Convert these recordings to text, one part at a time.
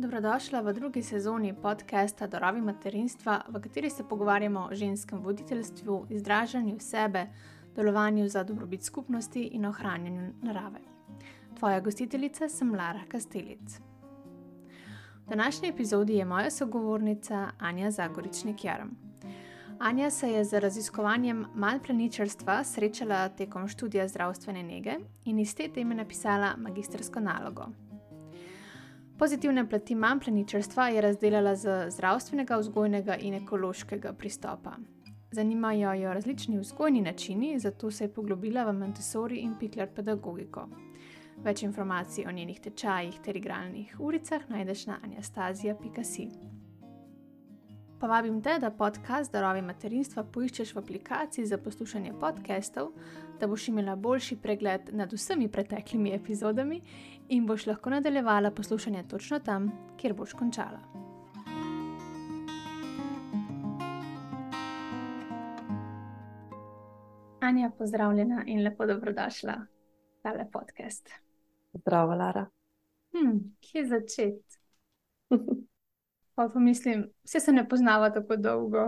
Dobrodošla v drugi sezoni podcasta Darovi materinstva, v kateri se pogovarjamo o ženskem voditeljstvu, izražanju sebe, delovanju za dobrobit skupnosti in ohranjanju narave. Tvoja gostiteljica sem Lara Kastelic. V današnji epizodi je moja sogovornica Anja Zagoričnik-Jarm. Anja se je z raziskovanjem malplaničarstva srečala tekom študija zdravstvene nege in iz te teme napisala magistrsko nalogo. Pozitivne plati malplaničarstva je razdelala z zdravstvenega, vzgojnega in ekološkega pristopa. Zanimajo jo različni vzgojni načini, zato se je poglobila v Montessori in Pikler pedagogiko. Več informacij o njenih tečajih ter igralnih uricah najdeš na anjastazija.si. Povabim te, da podcast Darovi materinstva poiščeš v aplikaciji za poslušanje podcastov, da boš imela boljši pregled nad vsemi preteklimi epizodami in boš lahko nadaljevala poslušanje točno tam, kjer boš končala. Anja, pozdravljena in lepo dobrodošla v tale podcast. Zdravo, Lara. Kje začeti? Pa pomislim, vse se ne poznava tako dolgo.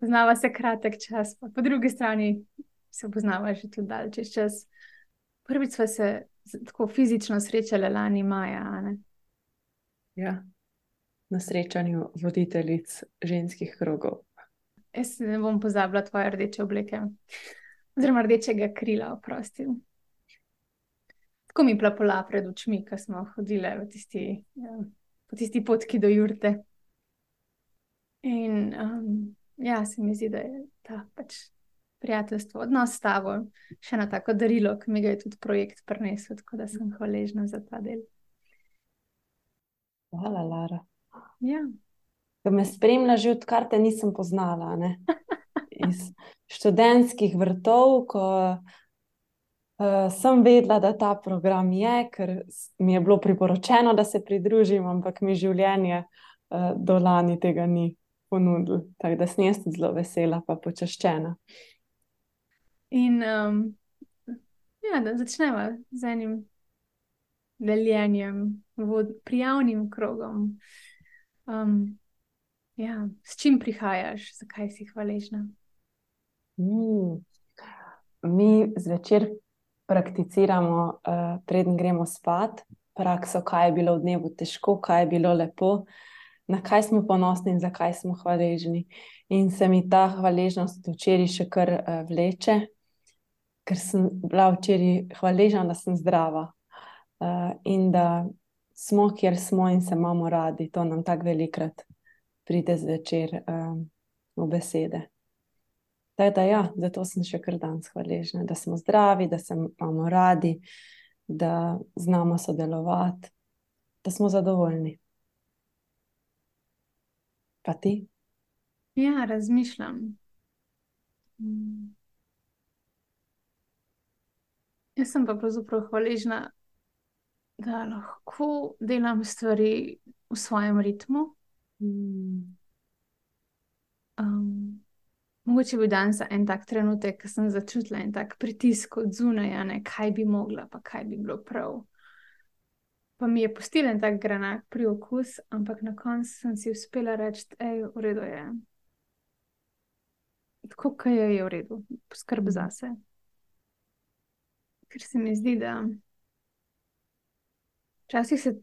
Poznava se kratek čas, pa po drugi strani se poznava že tudi dalj čas. Prvič sva se tako fizično srečale lani maja, a ne? Ja, na srečanju voditeljic ženskih krogov. Jaz ne bom pozabila tvoje rdeče obleke. Oziroma rdečega krila, oprosti. Tako mi plapola pred očmi, ko smo hodile po tisti potki do jurte. In se mi zdi, da je ta prijateljstvo, odnos s tabo še eno tako darilo, ki mi ga je tudi projekt prinesel, tako da sem hvaležna za ta del. Hvala, Lara. Ja. Da me spremlja že odkar te nisem poznala, ne? Iz študentskih vrtov, ko sem vedela, da ta program je, ker mi je bilo priporočeno, da se pridružim, ampak mi življenje do lani tega ni ponudilo. Tako da sem jaz tudi zelo vesela pa počaščena. In da začnemo z enim deljenjem, prijavnim krogom. S čim prihajaš, zakaj si hvaležna? Mi zvečer prakticiramo, preden gremo spat, prakso, kaj je bilo v dnevu težko, kaj je bilo lepo, na kaj smo ponosni in zakaj smo hvaležni. In se mi ta hvaležnost včeraj še kar vleče, ker sem bila včeraj hvaležna, da sem zdrava in da smo, kjer smo in se imamo radi. To nam tako velikrat pride zvečer v besede. Tako da ja, zato sem še kar danes hvaležna, da smo zdravi, da se imamo radi, da znamo sodelovati, da smo zadovoljni. Pa ti? Ja, razmišljam. Jaz sem pa pravzaprav hvaležna, da lahko delam stvari v svojem ritmu. Mogoče bi danes za en tak trenutek, ko sem začutila en tak pritisk od zunaj, kaj bi mogla, pa kaj bi bilo prav. Pa mi je pustil en tak granak priokus, ampak na koncu sem si uspela reči, v redu je. Tako, kaj je v redu, poskrb zase. Ker se mi zdi, da včasih se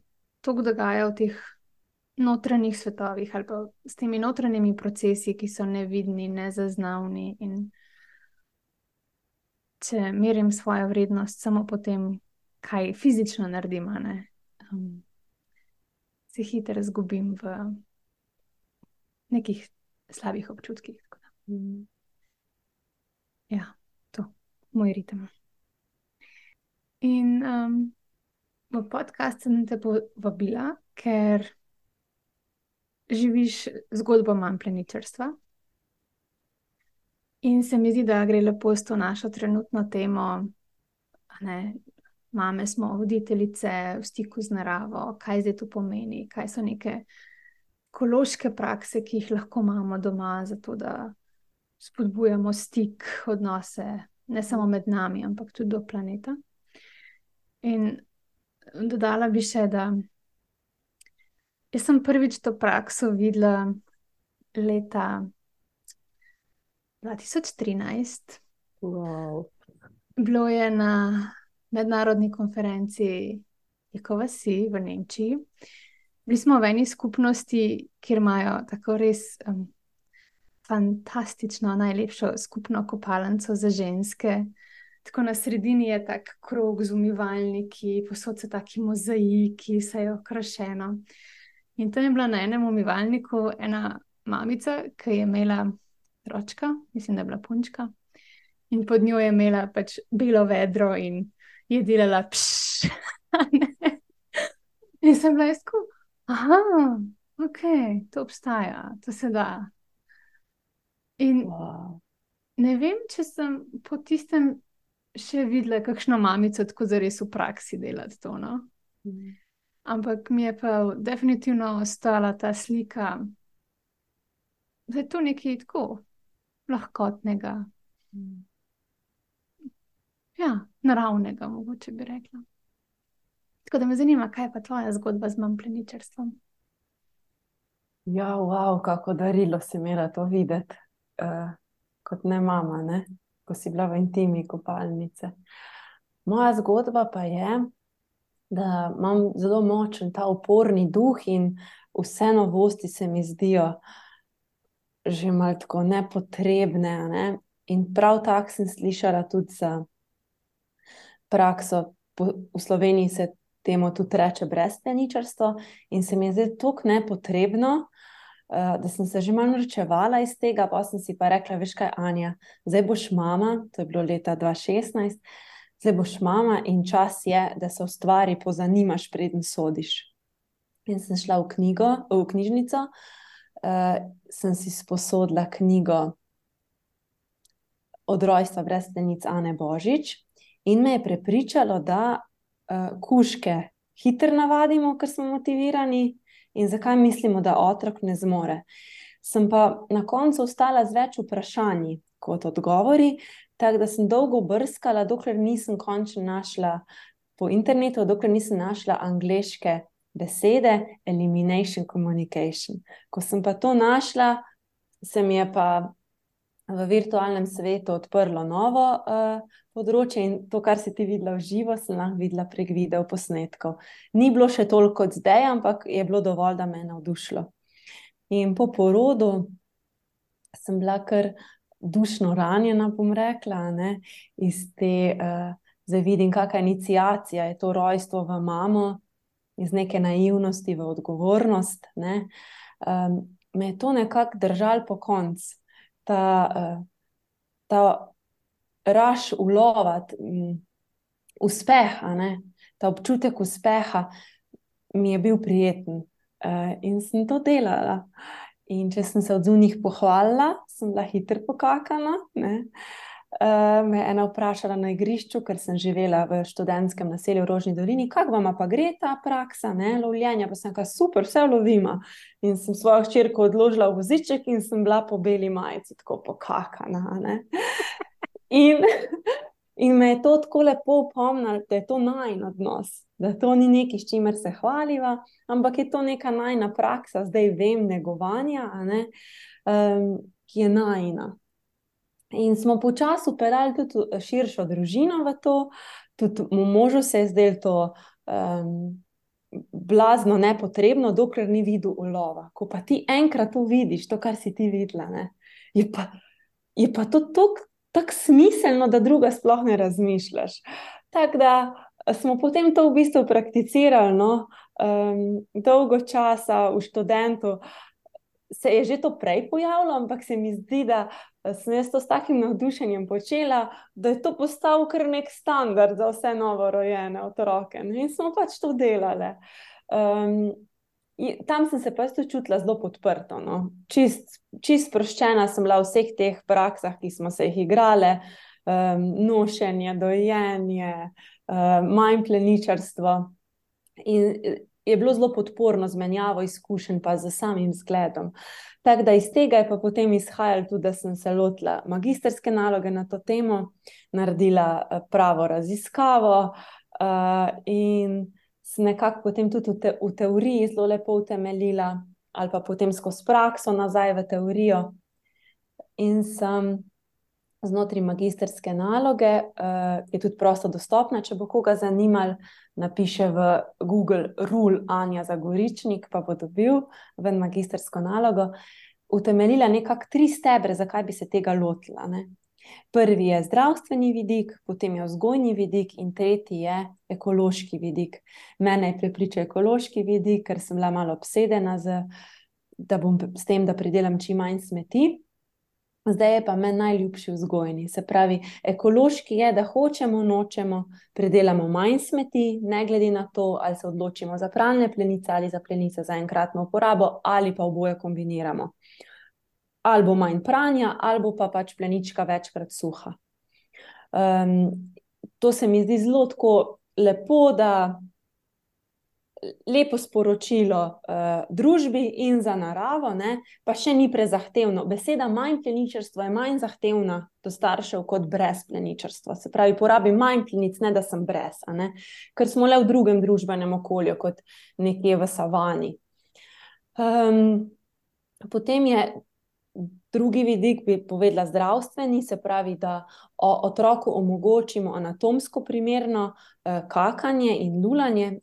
toliko dogaja v teh notranjih svetovih ali pa s temi notranjimi procesi, ki so nevidni, nezaznavni, in če merim svojo vrednost samo po tem, kaj fizično naredim, se hitro izgubim v nekih slabih občutkih. Ja, to, moj ritem. In v podcast sem te povabila, ker živiš zgodbo malplaničarstva. In se mi zdi, da gre lepo s to našo trenutno temo, mame smo voditeljice v stiku z naravo, kaj zdaj to pomeni, kaj so neke ekološke prakse, ki jih lahko imamo doma, zato da spodbujamo stik, odnose, ne samo med nami, ampak tudi do planeta. In dodala bi še, da Jaz sem prvič to prakso videla leta 2013. Wow. Bilo je na mednarodni konferenci Jekova si v Nemčiji. Bili smo v eni skupnosti, kjer imajo tako res fantastično, najlepšo skupno kopalnico za ženske. Tako na sredini je tak krog z umivalniki, posod so taki mozaiki, vse je okrašeno. In tam je bila na enem umivalniku ena mamica, ki je imela ročka, mislim, da je bila punčka. In pod njo je imela pač belo vedro in je delala pšš. In sem bila jaz tako, aha, ok, to obstaja, to se da. In Wow. ne vem, če sem po tistem še videla kakšno mamico tako zares v praksi delati to, no. Ampak mi je pa definitivno ostala ta slika, da je to nekaj tako lahkotnega. Ja, naravnega, mogoče bi rekla. Tako da me zanima, kaj je pa tvoja zgodba z mampleničarstvom? Ja, wow, kako darilo si imela to videti, kot ne mama, ne? Ko si bila v intimi kopalnice. Moja zgodba pa je, da imam zelo močen ta uporni duh in vse novosti se mi zdijo že malo tako nepotrebne, ne? In prav tako sem slišala tudi za prakso, v Sloveniji se temu tudi reče brezpleničarstvo in se mi je zdelo toliko nepotrebno, da sem se že malo norčevala iz tega, pa sem si pa rekla, veš kaj, Anja, zdaj boš mama, to je bilo leta 2016, zdaj boš mama in čas je, da se v stvari pozanimaš, preden sodiš. In sem šla v knjižnico, sem si sposodila knjigo Od rojstva brezplenic Ane Božič in me je prepričalo, da kužke hitro navadimo, ker smo motivirani in zakaj mislimo, da otrok ne zmore. Sem pa na koncu ostala z več vprašanji kot odgovori, tako da sem dolgo brskala, dokler nisem končno našla po internetu, dokler nisem našla angleške besede elimination communication. Ko sem pa to našla, se mi je pa v virtualnem svetu odprlo novo področje in to, kar si ti videla v živo, sem lahko videla prek video posnetkov. Ni bilo še toliko kot zdaj, ampak je bilo dovolj, da me je navdušilo. In po porodu sem bila kar dušno ranjena, bom rekla, ne, iz te, zdaj vidim, kakšna iniciacija je to rojstvo v mamo, iz neke naivnosti v odgovornost, ne. Me je to nekako držalo po koncu. Ta raž ulova, uspeha, ne, ta občutek uspeha mi je bil prijeten, in sem to delala. In če sem se od zunaj pohvalila, sem bila hitro pokakana, ne. Me je ena vprašala na igrišču, ker sem živela v študentskem naselju v Rožni dolini, kako vama pa gre ta praksa, ne, lovljenja, pa sem rekla, super, vse lovima. In sem svojo hčerko odložila v voziček in sem bila po beli majici tako pokakana, ne. In me je to tako lepo opomnilo, da je to najin odnos, da to ni nekaj, s čimer se hvaliva, ampak je to neka najina praksa, zdaj vem, negovanja, a ne, ki je najina. In smo počasi vpeljali tudi širšo družino v to, tudi možu se je zdelo to blazno nepotrebno, dokler ni videl ulova. Ko pa ti enkrat to vidiš, to, kar si ti videla, ne, je pa to tako smiselno, da druga sploh ne razmišljaš. Tako da smo potem to v bistvu prakticirali, no, dolgo časa v študentu. Se je že to prej pojavilo, ampak se mi zdi, da sem jaz to s takim navdušenjem počela, da je to postal kar nek standard za vse novorojene otroke. In smo pač to delali. Tam sem se pa jaz čutila zelo podprto, no. Čist sproščena sem bila v vseh teh praksah, ki smo se jih igrale, nošenje, dojenje, mampleničarstvo. In je bilo zelo podporno z menjavo izkušenj pa z samim zgledom. Tako da iz tega je pa potem izhajalo tudi, da sem se lotila magistrske naloge na to temo, naredila pravo raziskavo, in sem nekako potem tudi v teoriji zelo lepo utemeljila, ali pa potem skozi prakso nazaj v teorijo. In sem znotraj magistrske naloge, ki je tudi prosto dostopna, če bo koga zanimalo, napiše v Google Rule Anja Zagoričnik, pa bo dobil ven magistrsko nalogo, utemeljila nekako 3 stebre, zakaj bi se tega lotila, ne. Prvi je zdravstveni vidik, potem je vzgojni vidik in tretji je ekološki vidik. Mene je prepričal ekološki vidik, ker sem bila malo obsedena s tem, da pridelam čim manj smeti. Zdaj je pa meni najljubši vzgojni. Se pravi, ekološki je, da hočemo, nočemo, pridelamo manj smeti, ne glede na to, ali se odločimo za pralne plenice ali za plenice za enkratno uporabo, ali pa oboje kombiniramo. Ali bo manj pranja, ali bo pa pač plenička večkrat suha. To se mi zdi zelo tako lepo, da lepo sporočilo družbi in za naravo, ne, pa še ni prezahtevno. Beseda manj pleničarstvo je manj zahtevna do staršev kot brez pleničarstva. Se pravi, porabim manj plenic, ne da sem brez, a ne, ker smo le v drugem družbenem okolju kot nekje v savani. Potem je drugi vidik, bi povedala zdravstveni, se pravi, da otroku omogočimo anatomsko primerno kakanje in lulanje.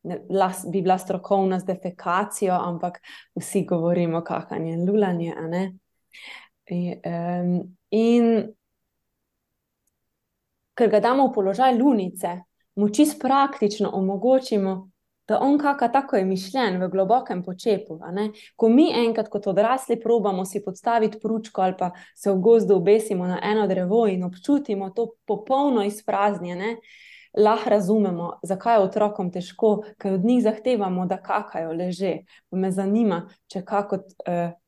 Bi bila strokovna z defekacijo, ampak vsi govorimo kakanje in lulanje, a ne. In ker ga damo v položaj lunice, mu čisto praktično omogočimo, da on kaka tako je mišljen v globokem počepu, a ne. Ko mi enkrat kot odrasli probamo si podstaviti pručko ali pa se v gozdu obesimo na eno drevo in občutimo to popolno izpraznjene, lahko razumemo, zakaj je otrokom težko, ker od njih zahtevamo, da kakajo leže. Me zanima, če kako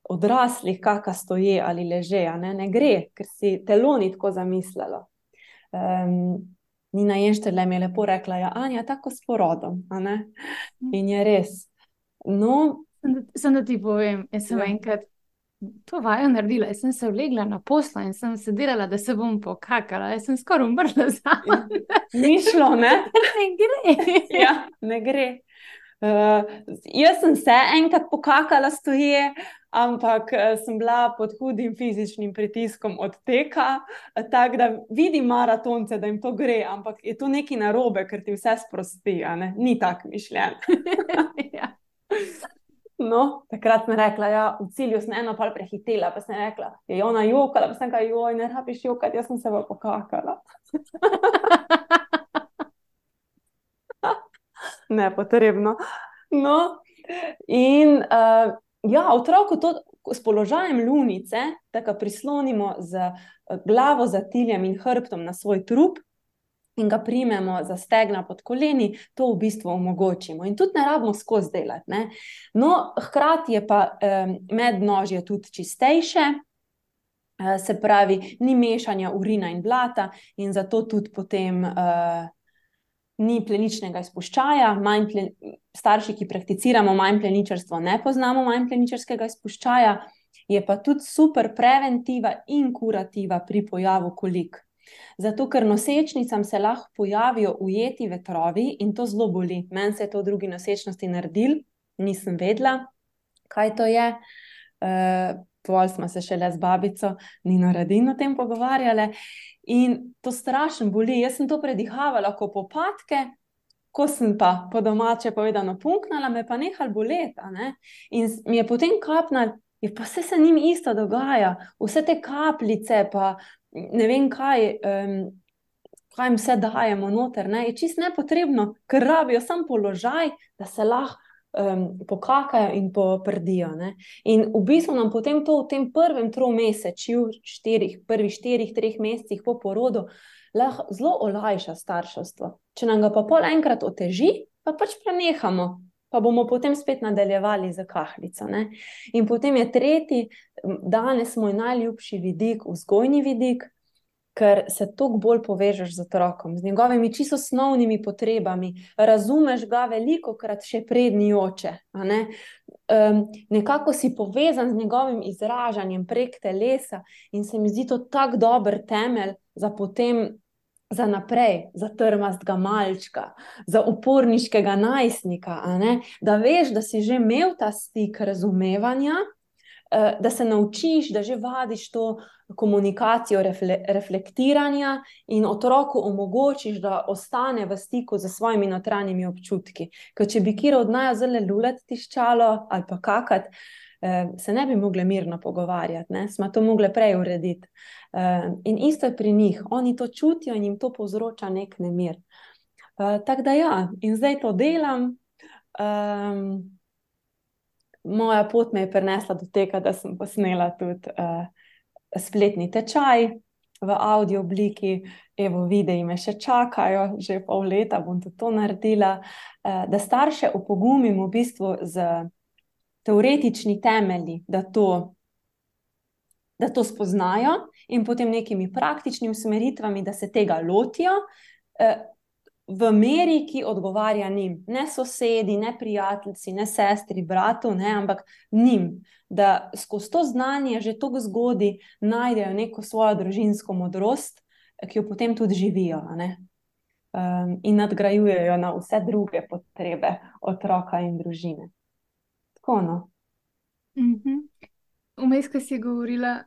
odraslih kaka stoje ali leže, a ne, ne gre, ker si telo ni tako zamislilo. Nina Jenštrle mi je lepo rekla, ja, Anja, tako s porodom, a ne, in je res. No. Samo da ti povem, jaz sem enkrat to vajo naredila, jaz sem se vlegla na posla in sem se delala, da se bom pokakala, jaz sem skoraj umrla zraven. Ni šlo, ne? Ne gre. Ja, ne gre. Jaz sem se enkrat pokakala stoje, ampak sem bila pod hudim fizičnim pritiskom od teka, tako da vidim maratonce, da jim to gre, ampak je to nekaj narobe, ker ti vse sprosti, a ne? Ni tako mišljen. Ja. No, takrat sem rekla, ja, v cilju sem eno pol prehitela, pa sem rekla, je ona jokala, pa sem rekla, joj, ne rabiš jokati, jaz sem se pa pokakala. Nepotrebno. No, in ja, otroku to s položajem lunice, tako prislonimo z glavo za tiljem in hrbtom na svoj trup in ga primemo za stegna pod koleni, to v bistvu omogočimo. In tudi ne rabimo skozi delati, ne. No, hkrati je pa mednožje tudi čistejše, se pravi, ni mešanja urina in blata in zato tudi potem ni pleničnega izpuščaja. Starši, ki prakticiramo manj pleničarstvo, ne poznamo manj pleničarskega izpuščaja, je pa tudi super preventiva in kurativa pri pojavu kolik. Zato, ker nosečnicam se lahko pojavijo ujeti vetrovi in to zelo boli. Meni se je to v drugi nosečnosti naredilo, nisem vedela, kaj to je. Pol smo se šele z babico Nino Radin o tem pogovarjale in to strašno boli. Jaz sem to predihavala kot popadke, ko sem pa po domače povedano punknala, me pa nehal boleti, a ne. In mi je potem kapnalo, pa vse se njim isto dogaja, vse te kapljice pa ne vem kaj jim vse dajemo noter, ne, je čisto nepotrebno, ker rabijo samo položaj, da se lahko pokakajo in poprdijo, ne. In v bistvu nam potem to v tem prvem tromesečju, prvih 4-3 mesecih po porodu, lahko zelo olajša starševstvo. Če nam ga pa pol enkrat oteži, pa pač prenehamo, pa bomo potem spet nadaljevali z kahlico, ne. In potem je tretji, danes moj najljubši vidik, vzgojni vidik, ker se toliko bolj povežeš z otrokom, z njegovimi čisto osnovnimi potrebami, razumeš ga velikokrat še predni oče, a ne. Nekako si povezan z njegovim izražanjem prek telesa in se mi zdi to tak dober temelj za potem za naprej, za trmastega malčka, za uporniškega najstnika, da veš, da si že imel ta stik razumevanja, da se naučiš, da že vadiš to komunikacijo reflektiranja in otroku omogočiš, da ostane v stiku z svojimi notranjimi občutki. Ker če bi kjer od naju zelo lulati tiščalo ali pa kakat, se ne bi mogli mirno pogovarjati, ne? Smo to mogli prej urediti. In isto je pri njih, oni to čutijo in jim to povzroča nek nemir. Tako da ja, in zdaj to delam. Moja pot me je prinesla do tega, da sem posnela tudi spletni tečaj v audio obliki. Evo, videi me še čakajo, že pol leta bom tudi to naredila, da starše opogumim v bistvu z teoretični temelji, da to spoznajo in potem nekimi praktičnimi usmeritvami, da se tega lotijo v meri, ki odgovarja njim. Ne sosedi, ne prijateljci, ne sestri, bratu, ne, ampak njim. Da skozi to znanje že toliko zgodaj najdejo neko svojo družinsko modrost, ki jo potem tudi živijo, ne? In nadgrajujejo na vse druge potrebe otroka in družine. Tako, no. Vmes, ko si govorila,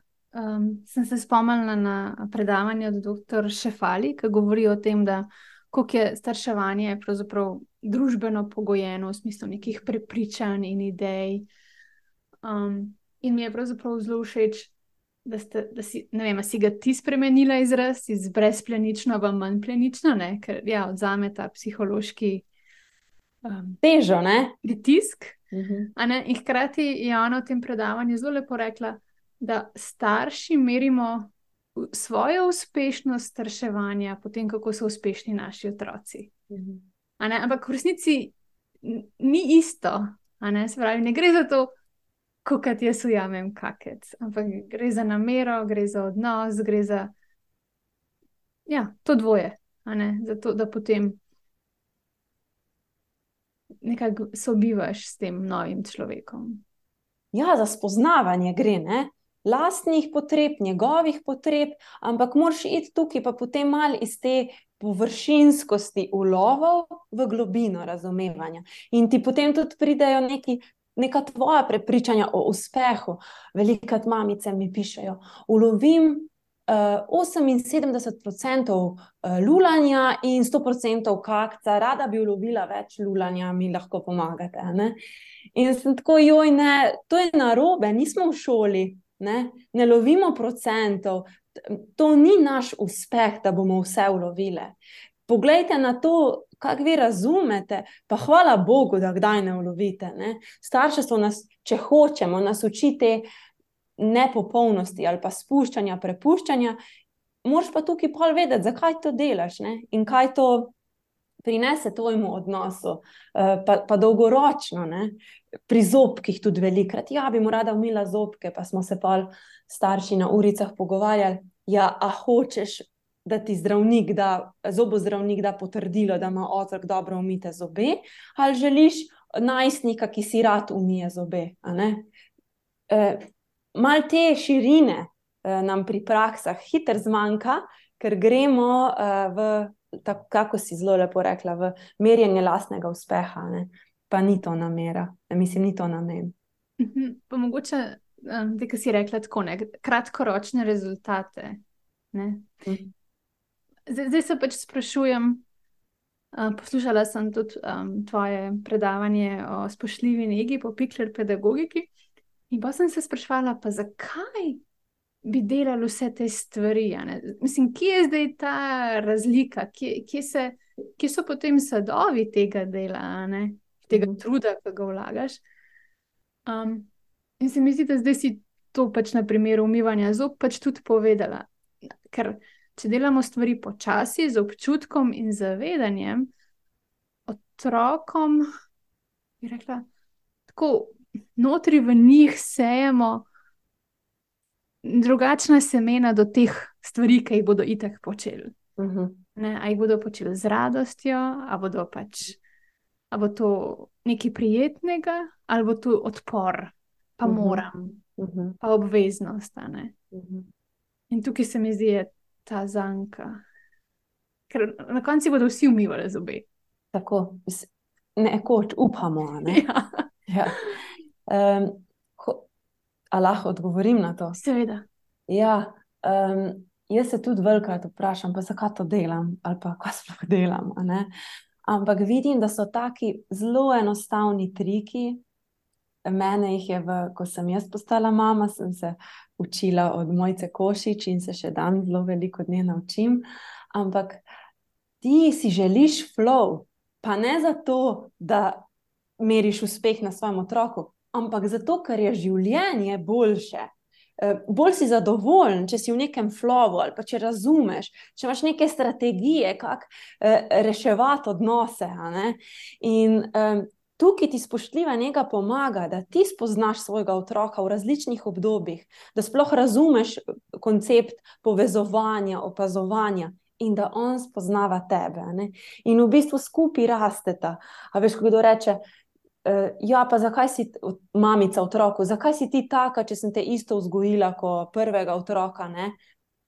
sem se spomnila na predavanje od dr. Šefali, ki govori o tem, da koliko je starševanje pravzaprav družbeno pogojeno v smislu nekih prepričanj in idej. In mi je pravzaprav zelo všeč, da si, ne vem, si ga ti spremenila izraz iz brezplenično v manjplenično, ne? Ker ja, odzame ta psihološki težo, ne? Pritisk. In hkrati je ona v tem predavanju zelo lepo rekla, da starši merimo svojo uspešnost starševanja po tem, kako so uspešni naši otroci. Ampak v resnici ni isto. Se pravi, ne gre za to, kakor jaz ujamem kakec, ampak gre za namero, gre za odnos, gre za to dvoje. Zato, da potem nekako sobivaš s tem novim človekom. Ja, za spoznavanje gre, ne? Lastnih potreb, njegovih potreb, ampak moraš iti tukaj pa potem malo iz te površinskosti ulovov v globino razumevanja. In ti potem tudi pridejo neka tvoja prepričanja o uspehu. Velikokrat mamice mi pišejo, ulovim 78% lulanja in 100% kakca, rada bi ulovila več lulanja, mi lahko pomagate, ne? In sem tako, joj, ne, to je narobe, nismo v šoli, ne lovimo procentov, to ni naš uspeh, da bomo vse ulovile. Poglejte na to, kako vi razumete, pa hvala Bogu, da kdaj ne ulovite, ne? Starševstvo nas, če hočemo, nas uči te nepopolnosti ali pa spuščanja, prepuščanja, moraš pa tukaj pol vedeti, zakaj to delaš, ne? In kaj to prinese tvojemu odnosu, pa dolgoročno, ne? Pri zobkih tudi velikrat, ja, bi mu rada umila zobke, pa smo se pol starši na uricah pogovarjali, ja, a hočeš, da ti zdravnik da, zobozdravnik da potrdilo, da ima otrok dobro umite zobe, ali želiš najstnika, ki si rad umije zobe, a ne? Malo te širine nam pri praksah hitro zmanjka, ker gremo kako si zelo lepo rekla, v merjenje lastnega uspeha, ne? Pa ni to namera, mislim, ni to namen. Pa mogoče, ki si rekla tako, ne, kratkoročne rezultate, ne? Zdaj se pač sprašujem, poslušala sem tudi tvoje predavanje o spoštljivi negi po Pikler pedagogiki in pa sem se spraševala, pa zakaj bi delali vse te stvari, ne? Mislim, kje je zdaj ta razlika, kje so potem sadovi tega dela, ne? Tega truda, ki ga vlagaš. In se mi zdi, da zdaj si to pač na primeru umivanja zob pač tudi povedala. Ker če delamo stvari počasi, z občutkom in zavedanjem, otrokom, bi rekla, tako notri v njih sejemo drugačna semena do teh stvari, ki jih bodo itak počeli. Ne, a jih bodo počeli z radostjo, a bo to nekaj prijetnega, ali bo to odpor, pa moram, pa obveznost, ne. In tukaj se mi zdi ta zanka. Ker na koncu bodo vsi umivali zobe. Tako, nekoč upamo, a ne? Ja, Ja. A lahko odgovorim na to? seveda. Ja, jaz se tudi velikokrat vprašam, pa zakaj to delam, ali pa kaj sploh delam, a ne? Ampak vidim, da so taki zelo enostavni triki. Mene jih je, ko sem jaz postala mama, sem se učila od Mojce Košič in se še dan zelo veliko od nje naučim. Ampak ti si želiš flow, pa ne zato, da meriš uspeh na svojem otroku, ampak zato, ker je življenje boljše. Bolj si zadovoljen, če si v nekem flowu ali pa če razumeš, če imaš neke strategije, kako reševati odnose. A ne? In tukaj ti spoštljiva nega pomaga, da ti spoznaš svojega otroka v različnih obdobjih, da sploh razumeš koncept povezovanja, opazovanja in da on spoznava tebe. A ne? In v bistvu skupaj rasteta. A veš, ko kdo reče, ja, pa zakaj si mamica otroku, zakaj si ti taka, če sem te isto vzgojila kot prvega otroka, ne?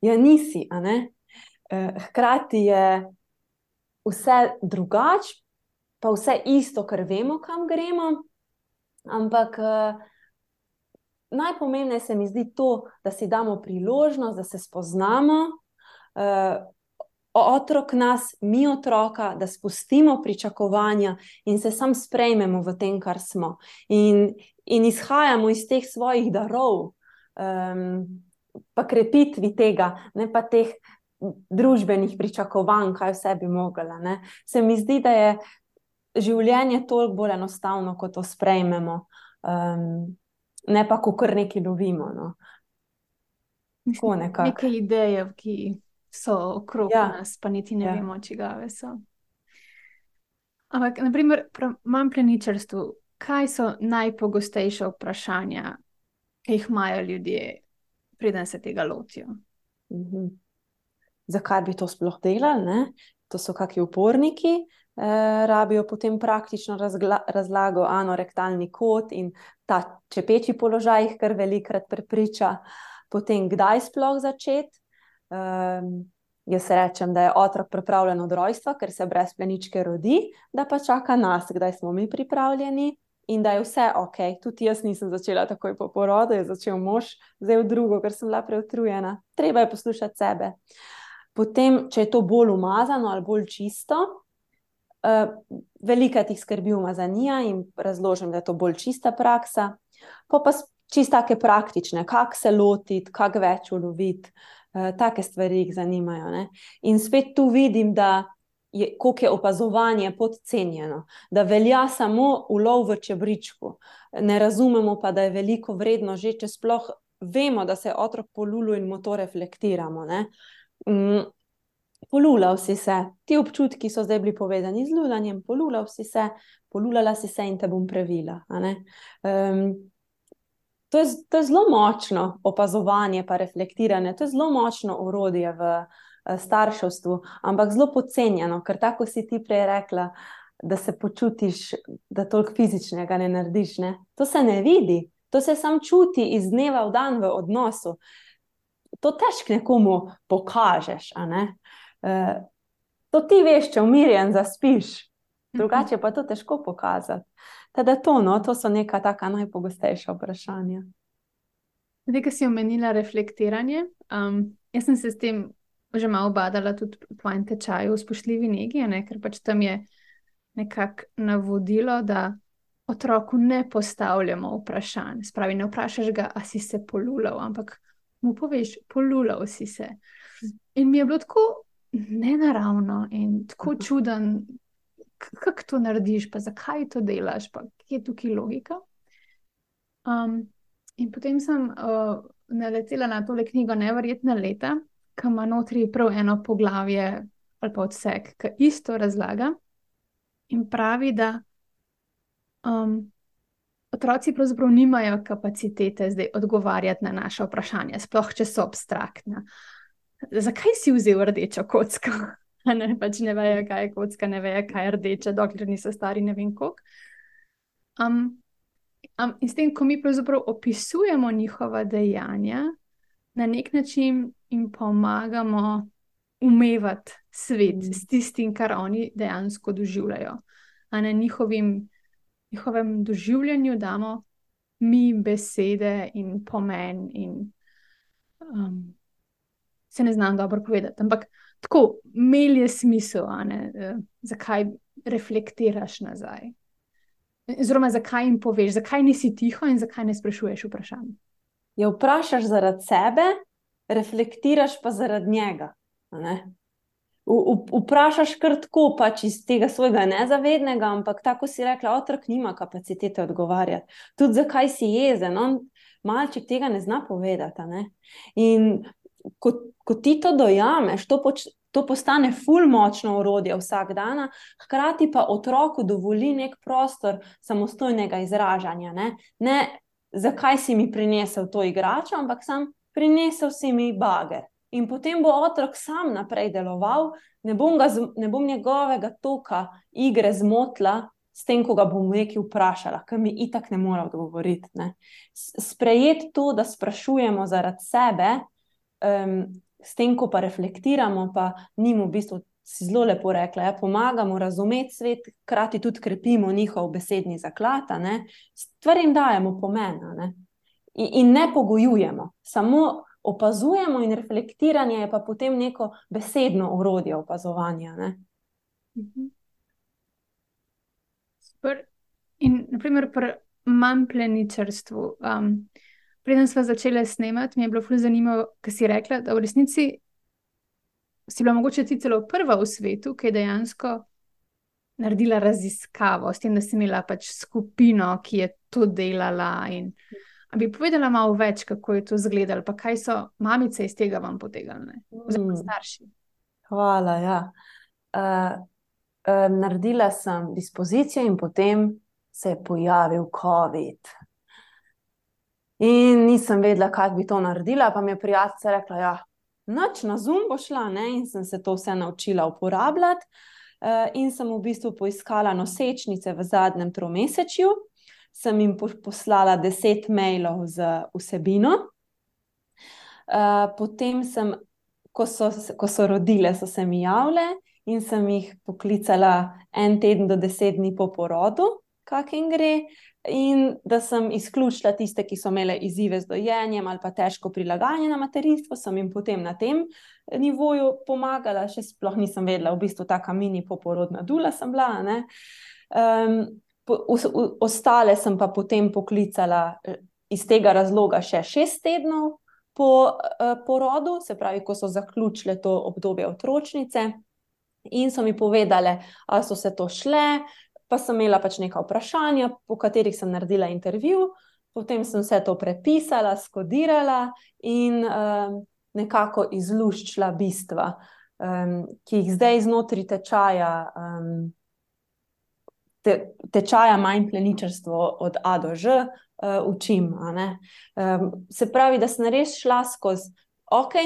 Ja, nisi, a ne? Hkrati je vse drugače, pa vse isto, ker vemo, kam gremo, ampak najpomembneje se mi zdi to, da si damo priložnost, da se spoznamo, otrok nas, mi otroka, da spustimo pričakovanja in se sam sprejmemo v tem, kar smo. In izhajamo iz teh svojih darov, pa krepitvi tega, ne pa teh družbenih pričakovanj, kaj vse bi mogla. Ne? Se mi zdi, da je življenje toliko bolj enostavno, ko to sprejmemo, ne pa, ko kar nekaj lovimo. No. Tako nekako. Neke ideje, ki so okrog nas, pa niti ne vemo, čigave so. Ampak, naprimer, imam pleničarstvu, kaj so najpogostejša vprašanja, ki jih imajo ljudje, preden se tega lotijo? Zakaj bi to sploh delali? Ne? To so kakšni uporniki, rabijo potem praktično razlago, anorektalni kot in ta čepeči položaj jih kar velikokrat prepriča. Potem, kdaj sploh začeti? Jaz rečem, da je otrok pripravljen od rojstva, ker se brez pleničke rodi, da pa čaka nas, kdaj smo mi pripravljeni in da je vse ok. Tudi jaz nisem začela takoj po porodu, je začel mož, zdaj v drugo, ker sem bila preutrujena. Treba je poslušati sebe. Potem, če je to bolj umazano ali bolj čisto, velikokrat jih skrbi umazanija in razložim, da je to bolj čista praksa. Pa čisto take praktične, kako se lotiti, kako več uloviti, take stvari jih zanimajo. Ne? In spet tu vidim, da koliko je opazovanje podcenjeno, da velja samo ulov v čebričku. Ne razumemo pa, da je veliko vredno že, če sploh vemo, da se je otrok polulil in mu to reflektiramo. Ne? Polulal si se, ti občutki so zdaj bili povezani z lulanjem, polulal si se, polulala si se in te bom previla. A ne? To je zelo močno opazovanje pa reflektiranje, to je zelo močno orodje v starševstvu, ampak zelo podcenjeno, ker tako si ti prej rekla, da se počutiš, da toliko fizičnega ne narediš. Ne? To se ne vidi, to se samo čuti iz dneva v dan v odnosu. To težko nekomu pokažeš, a ne? To ti veš, če umirjen zaspiš, drugače pa to težko pokazati. Teda to so neka taka najpogostejša vprašanja. Zdaj, ko si omenila reflektiranje, jaz sem se s tem že malo badala tudi v tvojem tečaju v spoštljivi negi, ne? Ker pač tam je nekako navodilo, da otroku ne postavljamo vprašanj. Spravi, ne vprašaš ga, a si se polulal, ampak mu poveš, polulal si se. In mi je bilo tako nenaravno in tako čuden, kako to narediš, pa zakaj to delaš, pa kje je tukaj logika. In potem sem naletela na tole knjigo Neverjetna leta, ki ima notri prav eno poglavje ali pa odsek, ki isto razlaga in pravi, da otroci pravzaprav nimajo kapacitete zdaj odgovarjati na naše vprašanja, sploh če so abstraktna. Zakaj si vzel rdečo kocko? Ne, pač ne vejo, kaj je kocka, ne vejo, kaj je rdeča, dokler niso stari ne vem koliko. In s tem, ko mi pravzaprav opisujemo njihova dejanja, na nek način jim pomagamo umevati svet s tistim, kar oni dejansko doživljajo. A na njihovem doživljanju damo mi besede in pomen in se ne znam dobro povedati, ampak tako, imel je smisel, zakaj reflektiraš nazaj. Oziroma, zakaj jim poveš, zakaj nisi tiho in zakaj ne sprašuješ vprašanj. Ja, vprašaš zaradi sebe, reflektiraš pa zaradi njega. Vprašaš kar tako, pač iz tega svojega nezavednega, ampak tako si rekla, otrok nima kapacitete odgovarjati. Tudi zakaj si jezen, malček tega ne zna povedati. In ko ti to dojameš, to postane ful močno orodje vsak dan, hkrati pa otroku dovoli nek prostor samostojnega izražanja. Ne, zakaj si mi prinesel to igračo, ampak sam prinesel si mi bager. In potem bo otrok sam naprej deloval, ne bom njegovega toka igre zmotila s tem, ko ga bom nekaj vprašala, ker mi itak ne more odgovoriti. Sprejeti to, da sprašujemo zaradi sebe, s tem, ko pa reflektiramo, pa njim v bistvu, si zelo lepo rekla, pomagamo razumeti svet, hkrati tudi krepimo njihov besedni zaklad, stvarim dajemo pomen, in ne pogojujemo, samo opazujemo in reflektiranje je pa potem neko besedno orodje opazovanja. Super. In naprimer pri mampleničarstvu, preden sva začela snemati, mi je bilo ful zanimivo, ker si rekla, da v resnici si bila mogoče ti celo prva v svetu, ki je dejansko naredila raziskavo, s tem, da si imela pač skupino, ki je to delala. A bi povedala malo več, kako je to izgledalo, pa kaj so mamice iz tega vam potegnile, oziroma starši? Hvala, ja. Naredila sem dispozicijo in potem se je pojavil COVID. In nisem vedela, kako bi to naredila, pa mi je prijateljica rekla, ja, nič, na Zoom bo šla, in sem se to vse naučila uporabljati. In sem v bistvu poiskala nosečnice v zadnjem tromesečju, sem jim poslala 10 mailov z vsebino. Potem ko so rodile, so se mi javile in sem jih poklicala 1 teden do 10 dni po porodu, kak jim gre, in da sem izključila tiste, ki so imele izzive z dojenjem ali pa težko prilagajanje na materinstvo, sem jim potem na tem nivoju pomagala, še sploh nisem vedela, v bistvu taka mini poporodna dula sem bila, ostale sem pa potem poklicala iz tega razloga še 6 tednov po porodu, se pravi, ko so zaključile to obdobje otročnice, in so mi povedale, ali so se to šle, pa sem imela pač neka vprašanja, po katerih sem naredila intervju, potem sem vse to prepisala, skodirala in nekako izluščila bistva, ki jih zdaj znotraj tečaja mampleničarstvo od A do Ž učim. Se pravi, da sem res šla skozi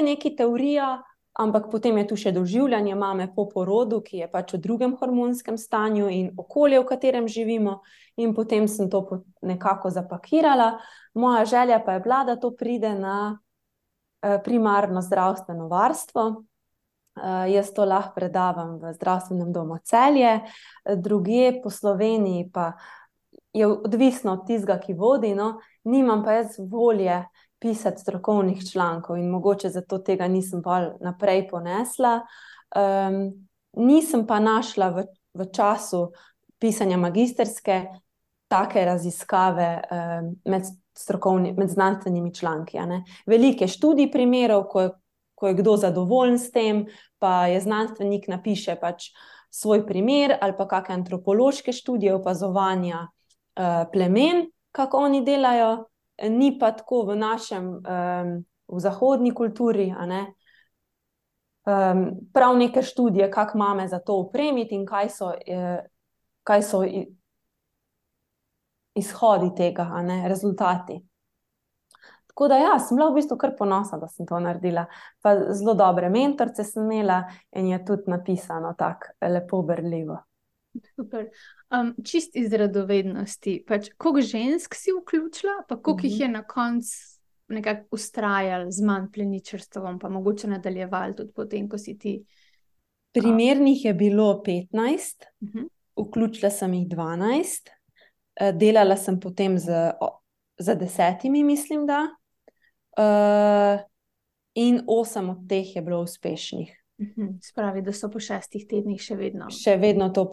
nekaj teorija, ampak potem je tu še doživljanje mame po porodu, ki je pač v drugem hormonskem stanju in okolje, v katerem živimo, in potem sem to nekako zapakirala. Moja želja pa je bila, da to pride na primarno zdravstveno varstvo. Jaz to lahko predavam v zdravstvenem domu Celje, drugje po Sloveniji pa je odvisno od tistega, ki vodi, nimam pa jaz volje pisati strokovnih člankov in mogoče zato tega nisem pa naprej ponesla. Nisem pa našla v času pisanja magisterske take raziskave med znanstvenimi članki. Veliko študij primerov, ko je kdo zadovoljen s tem, pa je znanstvenik napiše pač svoj primer ali pa kakšne antropološke študije opazovanja plemen, kako oni delajo, ni pa tako v v zahodni kulturi, prav neke študije, kako mame za to opremiti in kaj so izhodi tega, rezultati. Tako da ja, sem bila v bistvu kar ponosna, da sem to naredila. Pa zelo dobre mentorice sem imela in je tudi napisano tako lepo berljivo. Super. Čist iz radovednosti, pač koliko žensk si vključila, pa koliko jih je na koncu nekako ustrajali z manj pleničarstvom, pa mogoče nadaljevali tudi potem, ko si ti. Primernih je bilo 15, Mhm. vključila sem jih 12, delala sem potem z 10, mislim, da. In 8 od teh je bilo uspešnih. Spravi, da so po 6 tednih še vedno. Še vedno to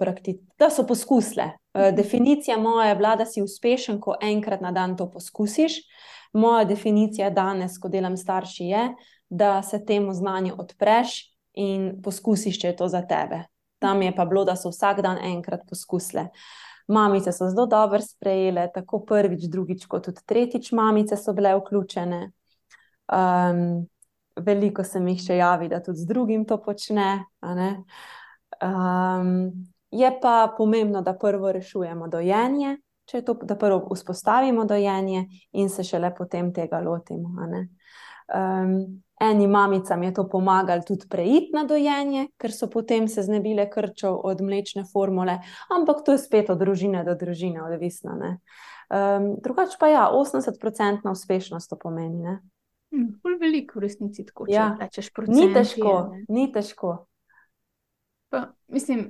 da so poskusile. Definicija moja je bila, da si uspešen, ko enkrat na dan to poskusiš. Moja definicija danes, ko delam s starši, je, da se temu znanju odpreš in poskusiš, če je to za tebe. Tam je pa bilo, da so vsak dan enkrat poskusile. Mamice so zelo dobro sprejele, tako prvič, drugič, kot tudi tretjič mamice so bile vključene. Veliko se mi še javi, da tudi z drugim to počne. Je pa pomembno, da prvo rešujemo dojenje, če je to, da prvo vzpostavimo dojenje in se šele potem tega lotimo. Eni mamicam je to pomagalo tudi preiti na dojenje, ker so potem se znebile krčev od mlečne formule, ampak to je spet od družine do družine odvisno. Drugače pa ja, 80% uspešnost to pomeni, ne? Ful veliko v resnici tako, če Ja. rečeš Ni procenti. težko, ni težko. Pa, mislim,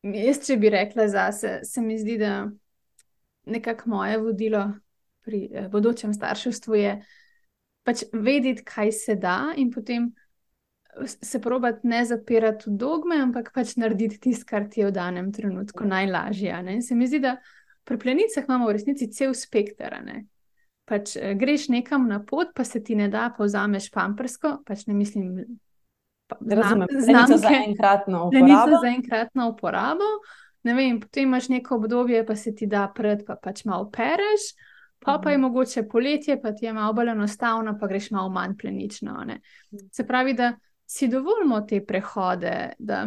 jaz, če bi rekla zase, se mi zdi, da nekako moje vodilo pri bodočem starševstvu je pač vedeti, kaj se da, in potem se probati ne zapirati v dogme, ampak pač narediti tisto, kar ti je v danem trenutku najlažje. Se mi zdi, da pri plenicah imamo v resnici cel spekter. Pač greš nekam na pot, pa se ti ne da, pa vzameš pampersko, pač ne mislim Razumem, znamke, za enkratno plenico uporabo. za enkratno uporabo. Ne vem, potem imaš neko obdobje, pa se ti da pred, pa pač malo pereš, pa je mogoče poletje, pa ti je malo bolj enostavno, pa greš malo manj plenično. Se pravi, da si dovolimo te prehode, da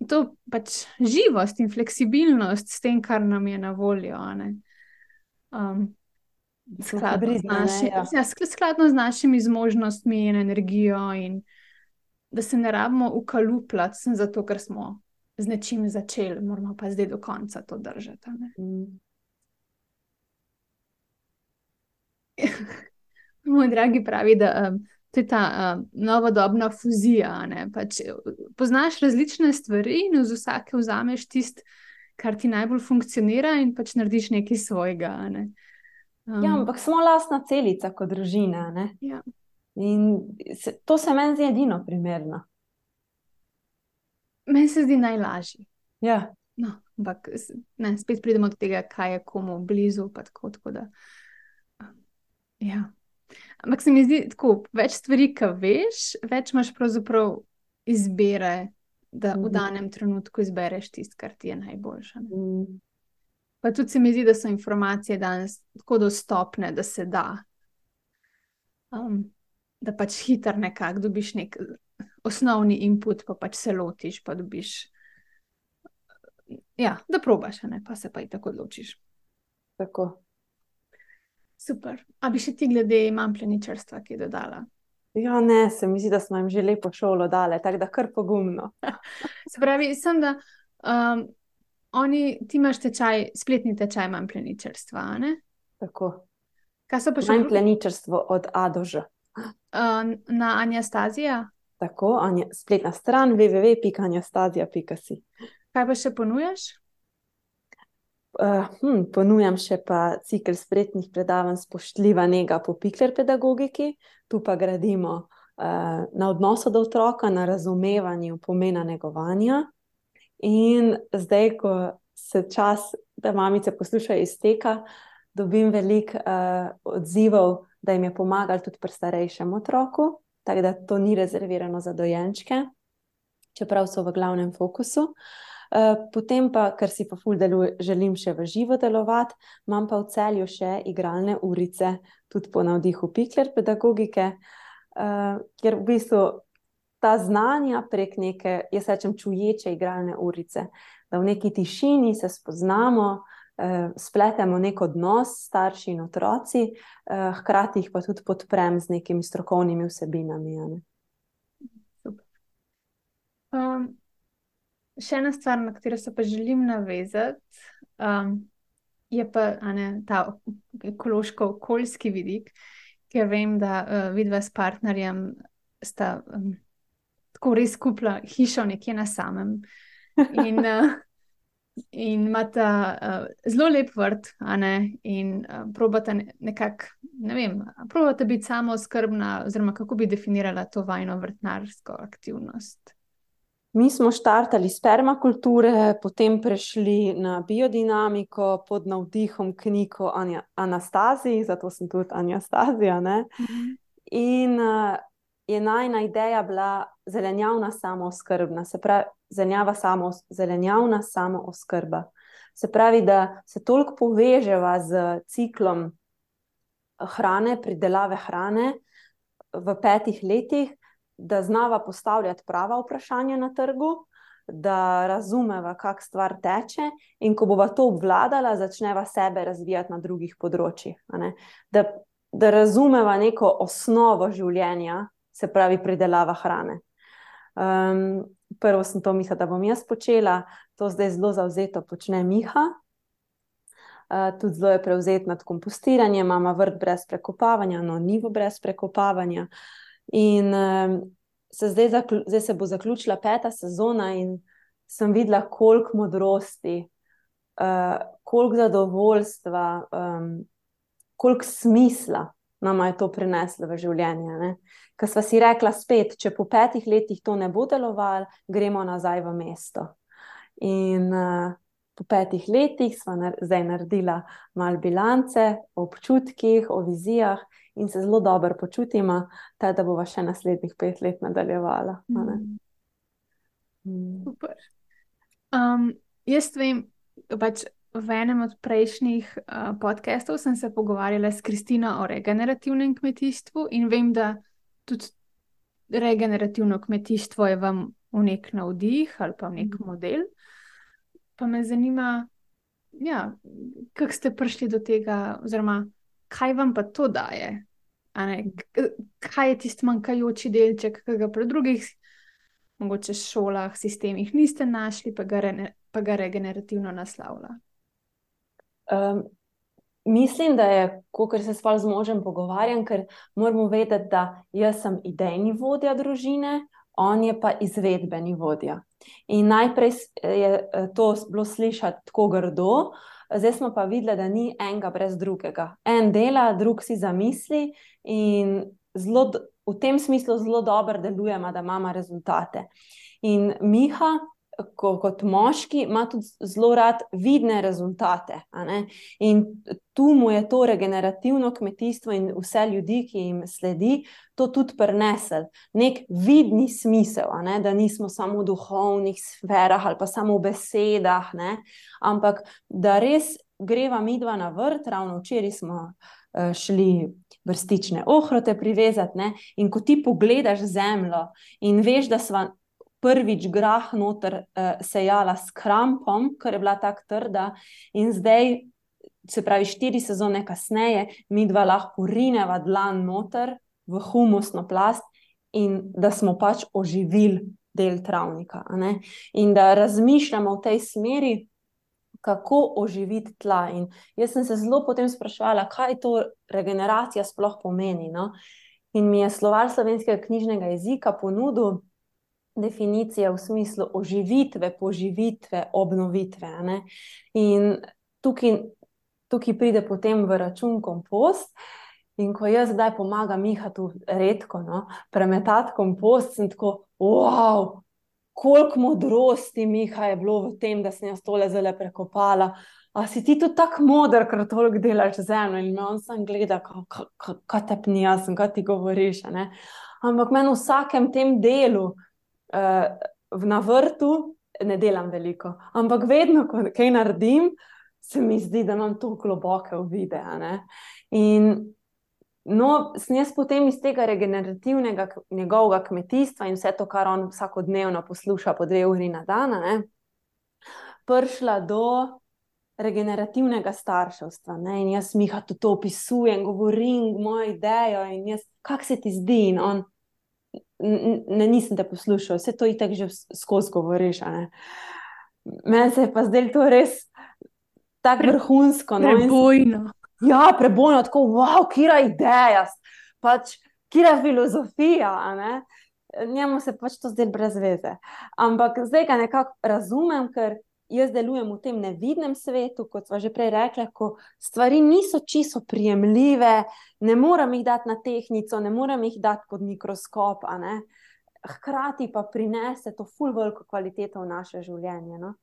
to pač živost in fleksibilnost s tem, kar nam je na voljo. Skladno z našimi zmožnostmi in energijo, in da se ne rabimo ukalupljati, sem zato, ker smo z nečim začeli, moramo pa zdaj do konca to držati. Moj dragi pravi, da to je ta novodobna fuzija. Pač, poznaš različne stvari in z vsake vzameš tisto, kar ti najbolj funkcionira, in pač narediš nekaj svojega. Ja, ampak smo lastna celica kot družina. Ja. In to se meni zdi edino primerno. Meni se zdi najlažje. Ja. No, ampak ne, spet pridemo do tega, kaj je komu blizu. Tako da, ja. Ampak se mi zdi tako, več stvari, ki veš, več imaš pravzaprav izbire, da v danem trenutku izbereš tisto, kar ti je najboljše. Pa tudi se mi zdi, da so informacije danes tako dostopne, da se da. Da pač hitro nekako dobiš nek osnovni input, pa pač se lotiš, pa dobiš. Ja, da probaš, pa se pa i tako odločiš. Tako. Super. A bi še ti glede manj pleničarstva kaj dodala? Ja, ne, se mi zdi, da smo jim že lepo šolo dale, tako da kar pogumno. Se pravi, sem da ti imaš spletni tečaj manj pleničarstva, ne? Tako. Kaj so pa še Manj pleničarstvo od A do Ž. Na Anastazija? Tako, spletna stran www.anastazija.si. Kaj pa še ponujaš? Ponujam še pa cikel spletnih predavanj Spoštljiva nega po Pikler pedagogiki. Tu pa gradimo na odnosu do otroka, na razumevanju pomena negovanja. In zdaj, ko se čas, da mamice poslušajo, izteka, dobim veliko odzivov, da jim je pomagalo tudi pri starejšem otroku, tako da to ni rezervirano za dojenčke, čeprav so v glavnem fokusu. Potem pa, ker si pa ful želim še v živo delovati, imam pa v Celju še igralne urice, tudi po navdihu Pikler pedagogike, kjer v bistvu ta znanja prek neke, jaz rečem, čuječe igralne urice, da v neki tišini se spoznamo, spletemo nek odnos starši in otroci, hkrati jih pa tudi podprem z nekimi strokovnimi vsebinami. Super. Še ena stvar, na katero se pa želim navezati, Je pa ta ekološko-okoljski vidik, ker vem, da vidva s partnerjem sta tako res kupila hišo nekje na samem. In, in imata zelo lep vrt, in probata nekako, ne vem, probata biti samooskrbna, oziroma kako bi definirala to vajino vrtnarsko aktivnost. Mi smo štartali iz permakulture, potem prešli na biodinamiko pod navdihom knjig o Anastaziji, zato sem tudi Anastazija, ne? In je najina ideja bila zelenjavna samooskrbna, se pravi zelenjavna samooskrba. Se pravi, da se toliko poveževa z ciklom hrane, pridelave hrane v 5 letih, da znava postavljati prava vprašanja na trgu, da razumeva, kako stvar teče, in ko bova to obvladala, začneva sebe razvijati na drugih področjih. Da razumeva neko osnovo življenja, se pravi pridelava hrane. Prvo sem to mislila, da bom jaz počela, to zdaj zelo zavzeto počne Miha. Tudi zelo je prevzet nad kompostiranjem, imamo vrt brez prekopavanja, njivo brez prekopavanja. In zdaj se bo zaključila 5. sezona in sem videla, koliko modrosti, koliko zadovoljstva, koliko smisla nama je to prineslo v življenje, ne? Ker sva si rekla spet, če po 5 letih to ne bo delovalo, gremo nazaj v mesto. In po 5 letih sva zdaj naredila malo bilance o občutkih, o vizijah in se zelo dobro počutimo, da bova še naslednjih 5 let nadaljevala. Super. Jaz vem, pač v enem od prejšnjih podcastov sem se pogovarjala s Kristino o regenerativnem kmetijstvu in vem, da tudi regenerativno kmetijstvo je vam v nek navdih ali pa v nek model. Pa me zanima, kako ste prišli do tega, oziroma kaj vam pa to daje? Kaj je tisti manjkajoči delček, ki ga pri drugih, mogoče šolah, sistemih niste našli, pa ga regenerativno naslavlja? Mislim, da je, kakor se z možem pogovarjam, ker moramo vedeti, da jaz sem idejni vodja družine, on je pa izvedbeni vodja. In najprej je to bilo slišati tako grdo, zdaj smo pa videli, da ni enega brez drugega. En dela, drug si zamisli in v tem smislu zelo dobro delujemo, da imamo rezultate. In Miha, kot moški, ima tudi zelo rad vidne rezultate, in tu mu je to regenerativno kmetijstvo in vse ljudi, ki jim sledi, to tudi prinesel. Nek vidni smisel, da nismo samo v duhovnih sferah ali pa samo v besedah, ampak da res greva midva na vrt, ravno včeraj smo šli brstične ohrote privezati, in ko ti pogledaš zemljo in veš, da sva prvič grah noter sejala s krampom, ker je bila tako trda, in zdaj, se pravi 4 sezone kasneje, midva lahko rineva dlan noter v humusno plast in da smo pač oživili del travnika, in da razmišljamo v tej smeri, kako oživiti tla. In jaz sem se zelo potem spraševala, kaj to regeneracija sploh pomeni, In mi je Slovar slovenskega knjižnega jezika ponudil definicije v smislu oživitve, poživitve, obnovitve, In tukaj pride potem v račun kompost. In ko jaz zdaj pomagam Mihatu redko, premetati kompost, sem tako, wow, koliko modrosti, Miha, je bilo v tem, da sem jaz tole zdaj prekopala. A si ti tudi tako moder, ker toliko delaš zemljo? In me on sam gleda, kaj te pni, jaz sem, kaj ti govoriš, Ampak meni v vsakem tem delu na vrtu ne delam veliko, ampak vedno, ko kaj naredim, se mi zdi, da imam to globoke uvide, In sem jaz potem iz tega regenerativnega njegovega kmetijstva in vse to, kar on vsakodnevno posluša po 2 uri na dan, prišla do regenerativnega starševstva, In jaz Miha tudi to opisujem, govorim mojo idejo in jaz, kako se ti zdi? In on, nisem te poslušal, vse to itak že skozi govoriš, Meni se je pa zdaj to res tako vrhunsko. No, Prebojno. ja, prebojno, tako, wow, kira ideja, pač, kira filozofija, a ne? Njemu se pač to zdelo brez veze. Ampak zdaj ga nekako razumem, ker jaz delujem v tem nevidnem svetu, kot sva že prej rekla, ko stvari niso čisto prijemljive, ne morem jih dati na tehtnico, ne morem jih dati pod mikroskop, a ne? Hkrati pa prinese to ful veliko kvaliteto v naše življenje, no?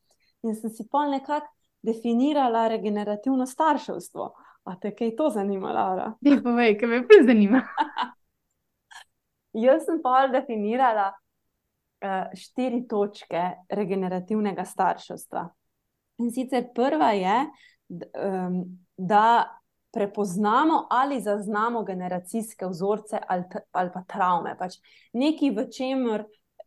In sem si pol nekako definirala regenerativno starševstvo. A te kaj to zanima, Laura? Dej povej, kaj me bolj zanima. Jaz sem pa definirala 4 točke regenerativnega starševstva. In sicer prva je, da prepoznamo ali zaznamo generacijske vzorce ali pa travme. Pač nekaj, v čemer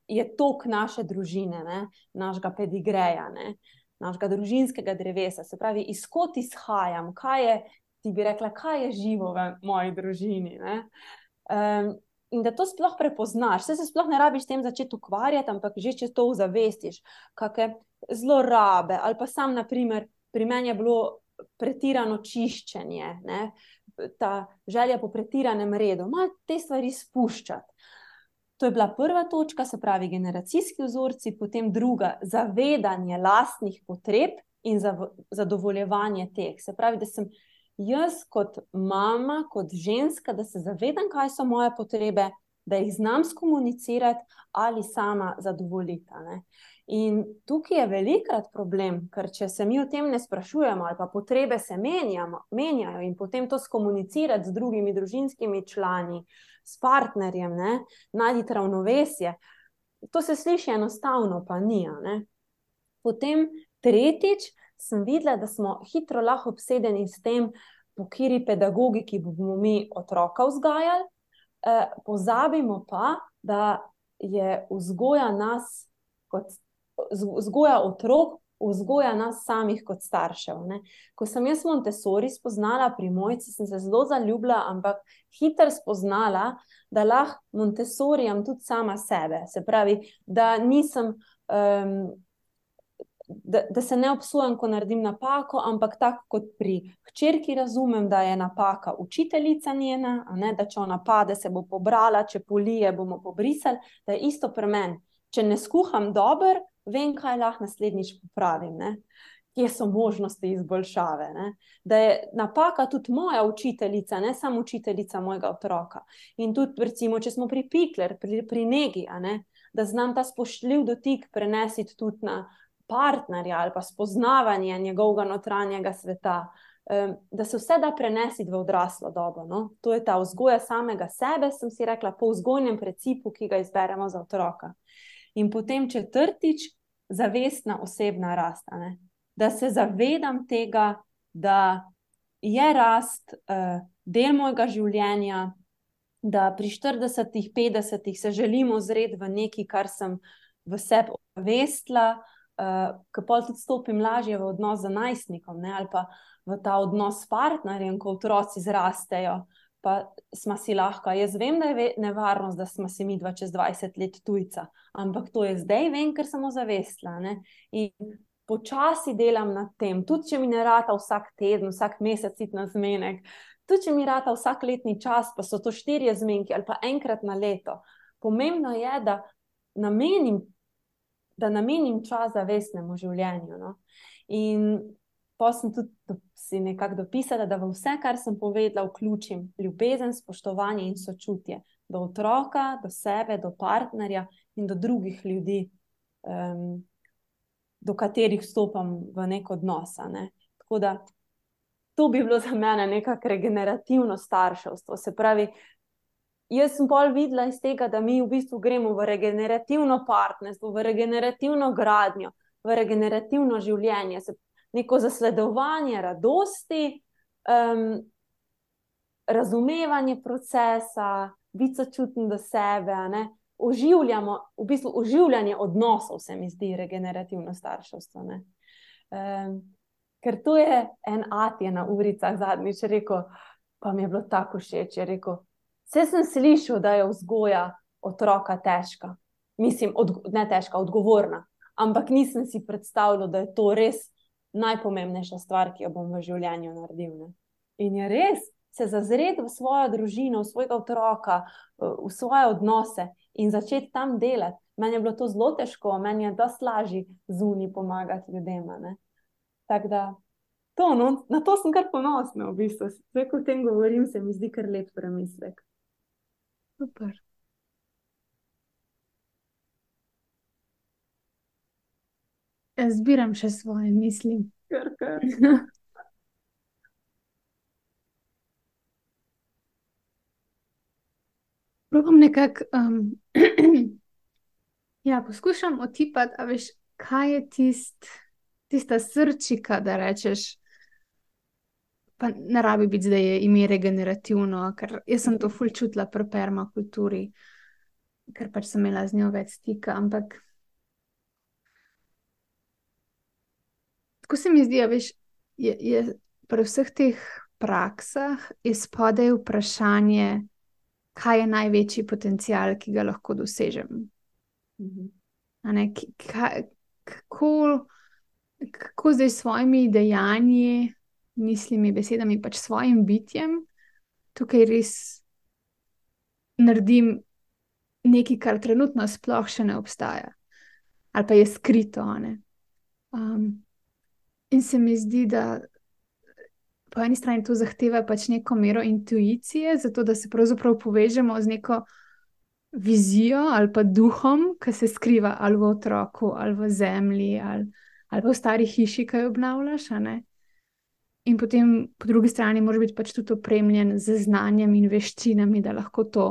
je tok naše družine, ne? Našega pedigreja, ne? Našega družinskega drevesa. Se pravi, izkot izhajam, kaj je, ti bi rekla, kaj je živo v moji družini, ne? In da to sploh prepoznaš, se sploh ne rabiš s tem začeti ukvarjati, ampak že če to ozavestiš, kakšne zlorabe, ali pa sam, na primer, pri meni je bilo pretirano čiščenje, ne? Ta želja po pretiranem redu, malo te stvari spuščati. To je bila prva točka, se pravi generacijski vzorci, potem druga, zavedanje lastnih potreb in zadovoljevanje teh. Se pravi, da sem jaz kot mama, kot ženska, da se zavedam, kaj so moje potrebe, da jih znam skomunicirati ali sama zadovoljiti, ne? In tukaj je velikrat problem, ker če se mi o tem ne sprašujemo ali pa potrebe se menjajo in potem to skomunicirati z drugimi družinskimi člani, s partnerjem, ne, najti ravnovesje, to se sliši enostavno, pa ni, ne? Potem tretjič sem videla, da smo hitro lahko obsedeni s tem, po kateri pedagogiki bomo mi otroka vzgajali, pozabimo pa, da je vzgoja nas kot vzgoja otrok, vzgoja nas samih kot staršev, ne? Ko sem jaz Montessori spoznala pri Mojci, sem se zelo zaljubila, ampak hitro spoznala, da lahko Montessorijam tudi sama sebe. Se pravi, da nisem, da se ne obsojam, ko naredim napako, ampak tako kot pri hčerki razumem, da je napaka učiteljica njena, a ne, da če ona pade, se bo pobrala, če polije, bomo pobrisali, da je isto pri meni. Če ne skuham dobro, vem, kaj lahko naslednjič popravim, ne? Kje so možnosti izboljšave, ne? Da je napaka tudi moja učiteljica, ne samo učiteljica mojega otroka. In tudi, recimo, če smo pri pikler, pri negi, a ne? Da znam ta spoštljiv dotik prenesiti tudi na partnerja ali pa spoznavanje njegovega notranjega sveta, da se vse da prenesiti v odraslo dobo, no? To je ta vzgoja samega sebe, sem si rekla, po vzgojnem principu, ki ga izberemo za otroka. In potem četrtič, zavestna osebna rast, ne? Da se zavedam tega, da je rast del mojega življenja, da pri 40, 50 se želim ozreti v nekaj, kar sem v sebi ovestila, ko pol tudi stopim lažje v odnos z najstnikom, ne? Ali pa v ta odnos s partnerjem, ko otroci zrastejo, pa smo si lahko, jaz vem, da je nevarnost, da smo si midva čez 20 let tujca, ampak to je zdaj vem, ker sem ozavestila, ne? In počasi delam nad tem, tudi če mi ne rata vsak teden, vsak mesec iti na zmenek, tudi če mi rata vsak letni čas, pa so to 4 zmenki ali pa enkrat na leto. Pomembno je, da namenim čas zavestnemu življenju, no? In pa sem tudi si nekako dopisala, da v vse, kar sem povedala, vključim ljubezen, spoštovanje in sočutje do otroka, do sebe, do partnerja in do drugih ljudi, do katerih vstopam v nek odnos, ne? Tako da to bi bilo za mene nekako regenerativno starševstvo. Se pravi, jaz sem pol videla iz tega, da mi v bistvu gremo v regenerativno partnerstvo, v regenerativno gradnjo, v regenerativno življenje, neko zasledovanje radosti, razumevanje procesa, biti sočuten do sebe, ne? Oživljamo, v bistvu oživljanje odnosov se mi zdi regenerativno starševstvo, ne? Ker to je en ati je na uricah zadnjič rekel, pa mi je bilo tako všeč, je rekel, saj sem slišal, da je vzgoja otroka težka. Mislim, ne težka, odgovorna. Ampak nisem si predstavljal, da je to res najpomembnejša stvar, ki jo bom v življenju naredil. Ne? In je res se zazreti v svojo družino, v svojega otroka, v svoje odnose in začeti tam delati. Meni je bilo to zelo težko, meni je dosti lažje zunaj pomagati ljudem. Tako da, na to sem kar ponosna v bistvu. Zdaj, ko o tem govorim, se mi zdi kar lep premislek. Super. Jaz zbiram še svoje misli. Kar. Probam nekako, ja, poskušam otipati, a veš, kaj je tista srčika, da rečeš, pa ne rabi biti zdaj ime regenerativno, ker jaz sem to ful čutila pri permakulturi, ker pač sem imela z njo več stika, ampak tako se mi zdi, a veš, je pri vseh teh praksah izpodaj vprašanje, kaj je največji potencial, ki ga lahko dosežem. A ne, kako zdaj s svojimi dejanji, mislimi, besedami, pač svojim bitjem, tukaj res naredim nekaj, kar trenutno sploh še ne obstaja. Ali pa je skrito, a ne. In se mi zdi, da po eni strani to zahteva pač neko mero intuicije, zato da se pravzaprav povežemo z neko vizijo ali pa duhom, ki se skriva ali v otroku, ali v zemlji, ali pa v stari hiši, ki jo obnavljaš, a ne. In potem po drugi strani moraš biti pač tudi opremljen z znanjem in veščinami, da lahko to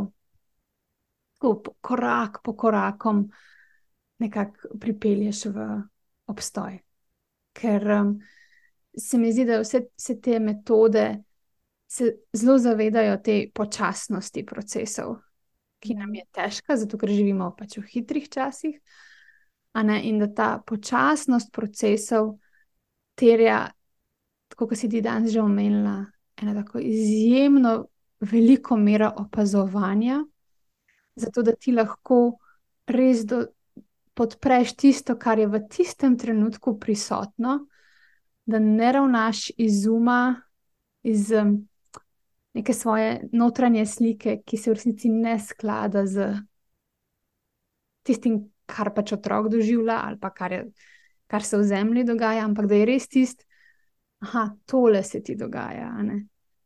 korak po korakom nekako pripelješ v obstoj. Ker se mi zdi, da vse te metode se zelo zavedajo te počasnosti procesov, ki nam je težka, zato ker živimo pač v hitrih časih, a ne, in da ta počasnost procesov terja, tako kot si ti danes že omenila, ena tako izjemno veliko mero opazovanja, zato da ti lahko res podpreš tisto, kar je v tistem trenutku prisotno, da ne ravnaš iz uma, iz neke svoje notranje slike, ki se v resnici ne sklada z tistim, kar pač otrok doživlja ali pa kar se v zemlji dogaja, ampak da je res tole se ti dogaja, a ne.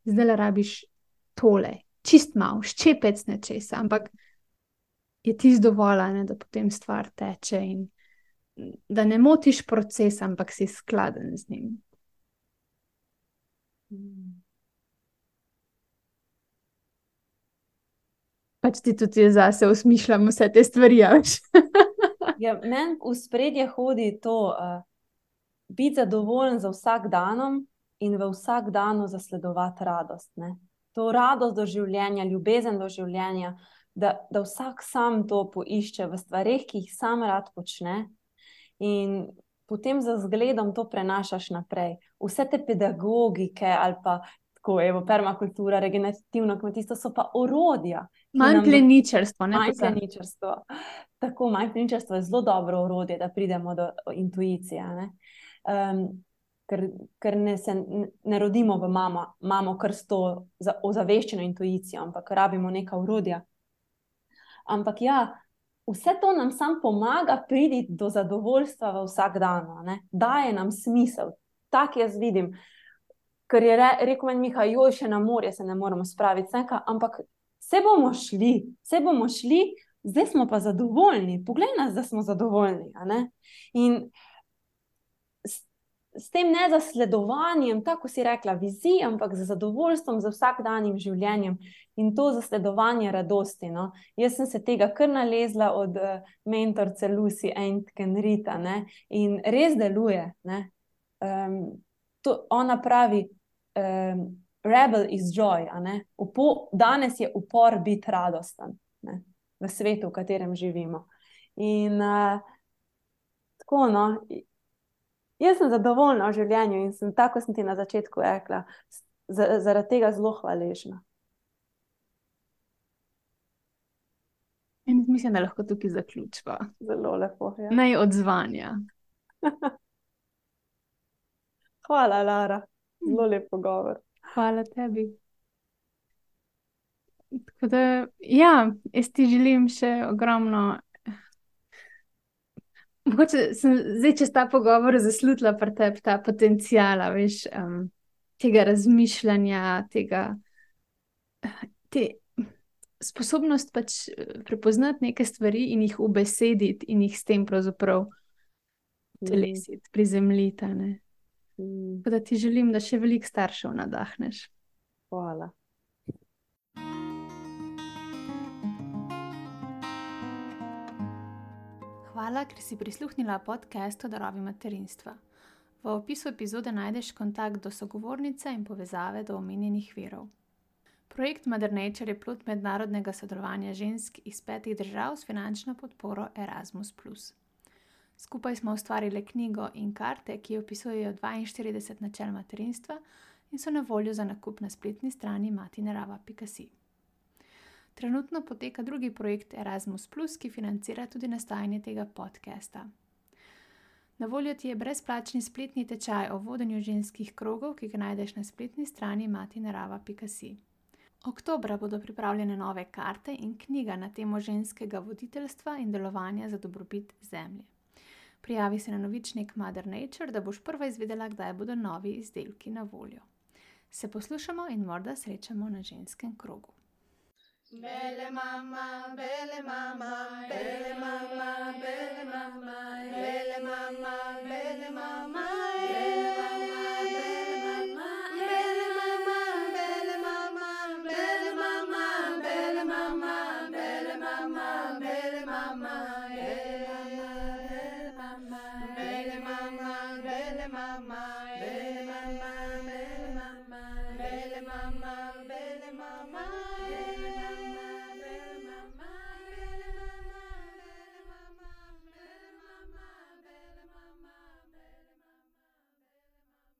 Zdajle rabiš tole, čist malo, ščepec nečesa, ampak je tisto dovolj, a ne, da potem stvar teče in da ne motiš procesa, ampak si skladen z njim. Pač ti tudi zase osmišljam vse te stvari, a veš. Ja, meni v spredje hodi to, biti zadovoljen za vsak danom in v vsak danu zasledovati radost, ne. To radost do življenja, ljubezen do življenja, da vsak sam to poišče v stvareh, ki jih sam rad počne, in potem z zgledom to prenašaš naprej. Vse te pedagogike ali pa tako, evo, permakultura, regenerativno kmetijstvo so pa orodja. Mindplaničarstvo, ne? Mindplaničarstvo. Tako, mindplaničarstvo je zelo dobro orodje, da pridemo do intuicije, ne. Ker ne rodimo v mamo kar s to ozaveščeno intuicijo, ampak rabimo neka orodja. Ampak ja, vse to nam sam pomaga priti do zadovoljstva v vsak dan, ne. Daje nam smisel. Tak jaz vidim. Ker je rekel meni Miha, joj, še na morje se ne moremo spraviti, ampak se bomo šli, zdaj smo pa zadovoljni. Poglej nas, da smo zadovoljni, a ne. In s tem nezasledovanjem, tako si rekla, vizij, ampak z zadovoljstvom, z vsakdanjim življenjem in to zasledovanje radosti, no. Jaz sem se tega kar nalezla od mentorice Lucy Aitken-Reid, ne, in res deluje, ne. Ona pravi, rebel is joy, a ne. Danes je upor biti radosten, ne, v svetu, v katerem živimo. In tako, no, jaz sem zadovoljna v življenju in tako sem ti na začetku rekla, zaradi tega zelo hvaležna. In mislim, da lahko tukaj zaključiva. Zelo lepo, ja. Naj odzvanja. Hvala, Lara. Zelo lep pogovor. Hvala tebi. Tako da, ja, jaz ti želim še ogromno. Mogoče sem zdaj čez ta pogovor zaslutila pri tebi ta potencijala, veš, tega razmišljanja, te sposobnost pač prepoznati neke stvari in jih ubesediti in jih s tem pravzaprav telesiti, prizemljiti, ne. Tako da ti želim, da še veliko staršev nadahneš. Hvala. Hvala, ker si prisluhnila podcastu Darovi materinstva. V opisu epizode najdeš kontakt do sogovornice in povezave do omenjenih virov. Projekt Mother Nature je plod mednarodnega sodelovanja žensk iz 5 držav s finančno podporo Erasmus+. Skupaj smo ustvarili knjigo in karte, ki opisujejo 42 načel materinstva in so na voljo za nakup na spletni strani matinerava.si. Trenutno poteka drugi projekt Erasmus+, ki financira tudi nastajanje tega podcasta. Na voljo ti je brezplačni spletni tečaj o vodenju ženskih krogov, ki ga najdeš na spletni strani matinerava.si. Oktobra bodo pripravljene nove karte in knjiga na temo ženskega voditeljstva in delovanja za dobrobit zemlje. Prijavi se na novičnik Mother Nature, da boš prva izvedela, kdaj bodo novi izdelki na voljo. Se poslušamo in morda srečamo na ženskem krogu. Bele mama, bele mama, bele mama, bele mama, bele mama, bele mama, bele mama, bele mama, bele mama, bele mama, bele mama, bele mama, bele mama, bele mama, bele mama, bele mama, bele mama.